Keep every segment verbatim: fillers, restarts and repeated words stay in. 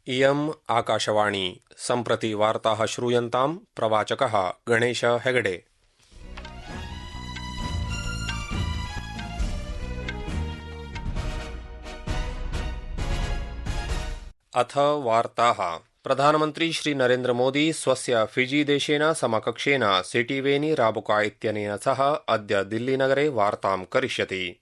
इयम् आकाशवाणी सम्प्रति वार्ताः श्रूयन्ताम् प्रवाचकः गणेश हेगडे। अथ वार्ताः। प्रधानमन्त्री श्री नरेन्द्र मोदी स्वस्य फिजी देशेन समकक्षेन सिटीवेनी राबुका इत्यनेन सह अद्य दिल्लीनगरे वार्तां करिष्यति।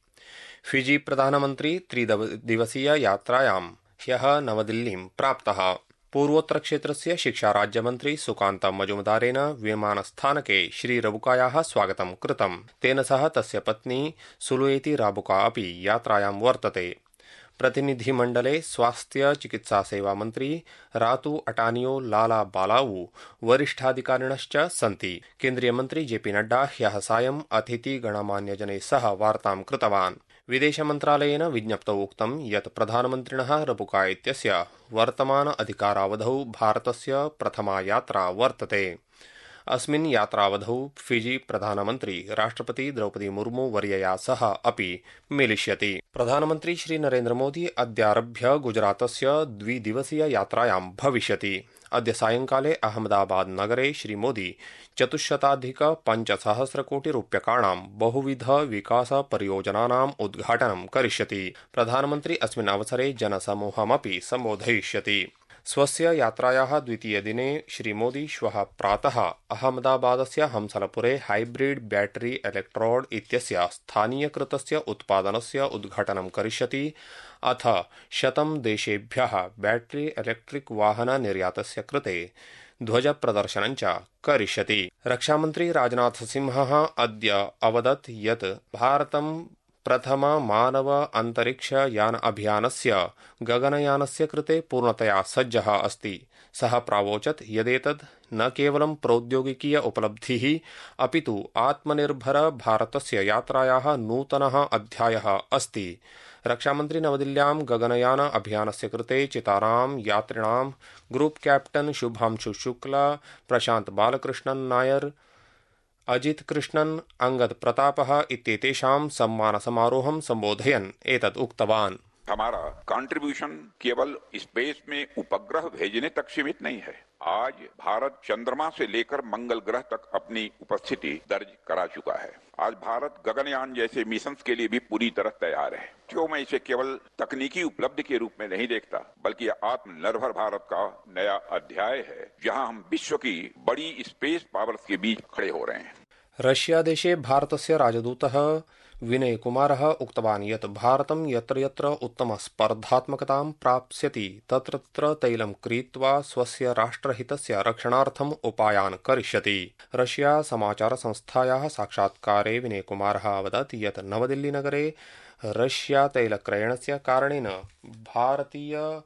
फिजी प्रधानमन्त्री त्रिदिवसीय यात्रायां ह्यः नवदिल्लीं प्राप्तः। पूर्वोत्तरक्षेत्रस्य शिक्षाराज्यमन्त्री सुकान्त मजुमदारेण विमानस्थानके श्रीरबुकायाः स्वागतं कृतम्। तेन सह तस्य पत्नी सुलुएती राबुका अपि यात्रायां वर्तते। प्रतिनिधिमण्डले स्वास्थ्य चिकित्सा सेवा मन्त्री रातू अटानियो लाला बालाऊ वरिष्ठाधिकारिणश्च सन्ति। केन्द्रीयमन्त्री जेपी नड्डा ह्यः सायं अतिथि गणमान्यजनैः सह वार्तां कृतवान्। विदेशमन्त्रालयेन विज्ञप्तौ उक्तं यत् प्रधानमन्त्रिणः रबुका इत्यस्य वर्तमान अधिकारावधौ भारतस्य प्रथमा यात्रा वर्तते। अस्मिन् यात्रावधौ फिजी प्रधानमन्त्री राष्ट्रपति द्रौपदी मुर्मू वर्यया सह अपि मेलिष्यति। प्रधानमन्त्री श्री नरेन्द्र मोदी अद्यारभ्य गुजरातस्य द्विदिवसीय यात्रायां भविष्यति। अद्य सायंकाले अहमदाबाद नगरे श्रीमोदी चतुश्शताधिक पञ्चसहस्रकोटिरूप्यकाणां बहुविध विकास परियोजनानाम् उद्घाटनं करिष्यति। प्रधानमन्त्री अस्मिन् अवसरे जनसमूहमपि सम्बोधयिष्यति। स्वस्य यात्रायाः द्वितीयदिने श्रीमोदी श्वः प्रातः अहमदाबादस्य हंसलपुरे हाइब्रिड बैटरी इलेक्ट्रोड इत्यस्य स्थानीयकृतस्य उत्पादनस्य उद्घाटनं करिष्यति। अथ शतं देशेभ्यः बैटरी इलेक्ट्रिक वाहन निर्यातस्य कृते ध्वजप्रदर्शनं च करिष्यति। रक्षामन्त्री राजनाथ सिंहः अद्य अवदत् यत् भारतं प्रथम मानव अंतरिक्ष यान अभियानस्य गगनयानस्य कृते पूर्णतया सज्जः अस्ति। सः प्रावोचत् यदेतत् न केवलं प्रौद्योगिकीय उपलब्धिः अपितु आत्मनिर्भर भारतस्य यात्रायाः नूतनः अध्यायः अस्ति। रक्षामन्त्री नवदिल्ल्यां गगनयान अभियानस्य कृते चितारां यात्रिणां ग्रुप कैप्टन शुभांशु शुक्ला, प्रशांत बालकृष्णन नायर, अजित कृष्णन, अंगद प्रतापः इत्येतेषां सम्मान समारोहं संबोधयन् एतत् उक्तवान्। हमारा कंट्रीब्यूशन केवल स्पेस में उपग्रह भेजने तक सीमित नहीं है। आज भारत चंद्रमा से लेकर मंगल ग्रह तक अपनी उपस्थिति दर्ज करा चुका है। आज भारत गगनयान जैसे मिशंस के लिए भी पूरी तरह तैयार है। क्यों मैं इसे केवल तकनीकी उपलब्धि के रूप में नहीं देखता, बल्कि आत्मनिर्भर भारत का नया अध्याय है, जहां हम विश्व की बड़ी स्पेस पावर्स के बीच खड़े हो रहे हैं। रशिया देशे भारतस्य राजदूतः विनय कुमारः उक्तवान् यत् भारतं यत्र यत्र उत्तम स्पर्धात्मकतां प्राप्स्यति तत्र तत्र तैलं क्रीत्वा स्वस्य राष्ट्रहितस्य रक्षणार्थम् उपायान् करिष्यति। रशिया समाचार संस्थायाः साक्षात्कारे विनय कुमारः अवदत् यत् नवदिल्लीनगरे रशिया तैलक्रयणस्य कारणेन भारतीय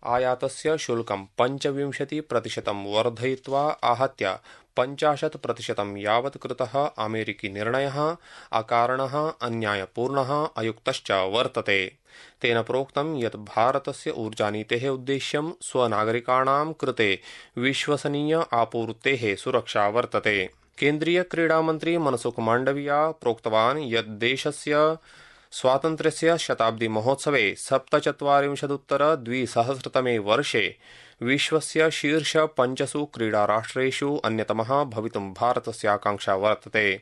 आयातस्य शुल्कं पञ्चविंशति प्रतिशतं वर्धयित्वा आहत्य पञ्चाशत् प्रतिशतं यावत् कृतः अमेरिकी निर्णयः अकारणः, अन्यायपूर्णः, अयुक्तश्च वर्तते। तेन प्रोक्तं यत् भारतस्य ऊर्जानीतेः उद्देश्यं स्वनागरिकाणां कृते विश्वसनीय आपूर्तेः सुरक्षा वर्तते। केन्द्रीय क्रीडामन्त्री मनसुख माण्डविया प्रोक्तवान् यत् देशस्य स्वातन्त्र्यस्य शताब्दी महोत्सवे सप्तचत्वारिंशदुत्तर द्विसहस्रतमे वर्षे विश्वस्य शीर्ष पञ्चसु क्रीडाराष्ट्रेषु अन्यतमः भवितुं भारतस्य आकांक्षा वर्तते।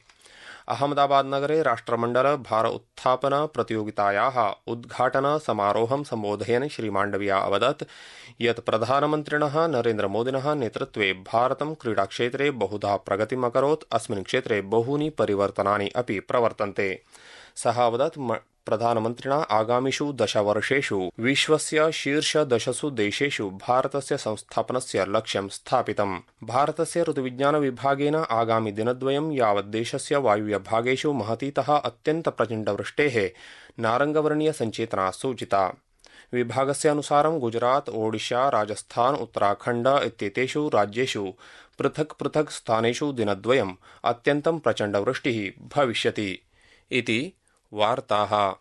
अहमदाबाद नगरे राष्ट्रमण्डल भार उत्थापन प्रतियोगितायाः उद्घाटन समारोहं सम्बोधयन् श्री माण्डविया अवदत् यत् प्रधानमन्त्रिणः नरेन्द्र मोदिनः नेतृत्वे भारतं क्रीडाक्षेत्रे बहुधा प्रगतिम् अकरोत्। अस्मिन् क्षेत्रे बहूनि परिवर्तनानि अपि प्रवर्तन्ते। सः अवदत् प्रधानमन्त्रिणा आगामिषु दशवर्षेषु विश्वस्य शीर्ष दशसु देशेषु भारतस्य संस्थापनस्य लक्ष्यं स्थापितम्। भारतस्य ऋतुविज्ञान विभागेन आगामि दिनद्वयं यावत् देशस्य वायुव्यभागेषु महतीतः अत्यन्त प्रचण्डवृष्टेः नारङ्गवर्णीय सञ्चेतना सूचिता। विभागस्य अनुसारं गुजरात, ओडिशा, राजस्थान, उत्तराखण्ड इत्येतेषु राज्येषु पृथक् पृथक् स्थानेषु दिनद्वयम् अत्यन्तं प्रचण्डवृष्टिः भविष्यति इति वार्ताः।